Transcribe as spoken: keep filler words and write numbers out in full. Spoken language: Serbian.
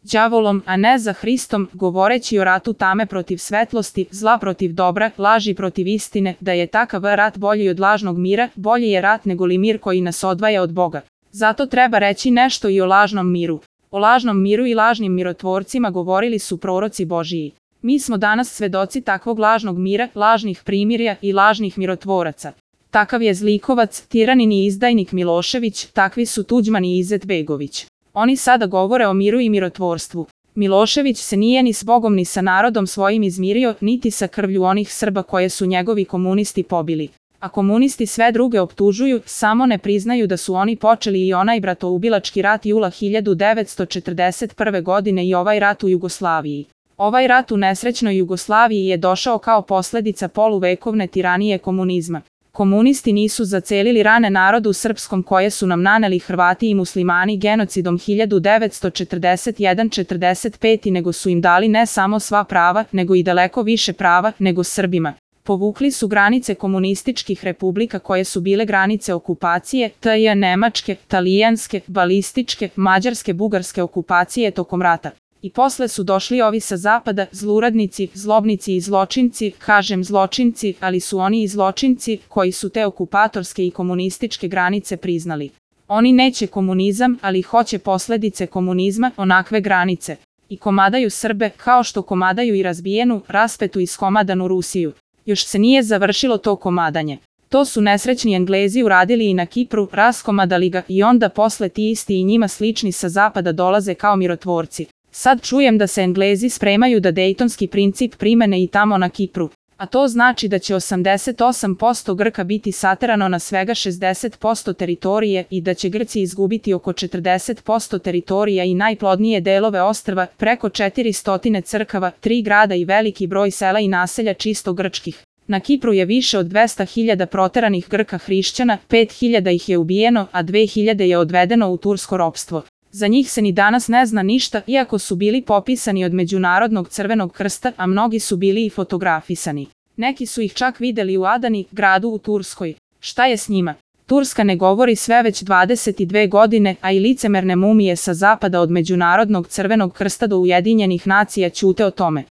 đavolom, a ne za Hristom, govoreći o ratu tame protiv svetlosti, zla protiv dobra, laži protiv istine, da je takav rat bolji od lažnog mira, bolji je rat nego li mir koji nas odvaja od Boga. Zato treba reći nešto i o lažnom miru. O lažnom miru i lažnim mirotvorcima govorili su proroci Božiji. Mi smo danas svedoci takvog lažnog mira, lažnih primirja i lažnih mirotvoraca. Takav je zlikovac, tiranin i izdajnik Milošević, takvi su Tuđman i Izetbegović. Oni sada govore o miru i mirotvorstvu. Milošević se nije ni s Bogom ni sa narodom svojim izmirio, niti sa krvlju onih Srba koje su njegovi komunisti pobili. A komunisti sve druge optužuju, samo ne priznaju da su oni počeli i onaj bratoubilački rat jula hiljadu devetsto četrdeset prve. godine i ovaj rat u Jugoslaviji. Ovaj rat u nesrećnoj Jugoslaviji je došao kao posledica poluvekovne tiranije komunizma. Komunisti nisu zacelili rane narodu srpskom koje su nam naneli Hrvati i muslimani genocidom hiljadu devetsto četrdeset prve do četrdeset pete. nego su im dali ne samo sva prava, nego i daleko više prava nego Srbima. Povukli su granice komunističkih republika koje su bile granice okupacije, T J nemačke, talijanske, balističke, mađarske, bugarske okupacije tokom rata. I posle su došli ovi sa zapada, zluradnici, zlobnici i zločinci, kažem zločinci, ali su oni i zločinci koji su te okupatorske i komunističke granice priznali. Oni neće komunizam, ali hoće posledice komunizma, onakve granice. I komadaju Srbe, kao što komadaju i razbijenu, raspetu i skomadanu Rusiju. Još se nije završilo to komadanje. To su nesrećni Englezi uradili i na Kipru, raskomadali ga i onda posle ti isti i njima slični sa zapada dolaze kao mirotvorci. Sad čujem da se Englezi spremaju da dejtonski princip primene i tamo na Kipru. A to znači da će osamdeset osam posto Grka biti saterano na svega šezdeset posto teritorije i da će Grci izgubiti oko četrdeset posto teritorija i najplodnije delove ostrva, preko četiristo crkava, tri grada i veliki broj sela i naselja čisto grčkih. Na Kipru je više od dvesta hiljada proteranih Grka hrišćana, pet hiljada ih je ubijeno, a dve hiljade je odvedeno u tursko ropstvo. Za njih se ni danas ne zna ništa, iako su bili popisani od Međunarodnog crvenog krsta, a mnogi su bili i fotografisani. Neki su ih čak videli u Adani, gradu u Turskoj. Šta je s njima? Turska ne govori sve već dvadeset dve godine, a i licemerne mumije sa zapada od Međunarodnog crvenog krsta do Ujedinjenih nacija ćute o tome.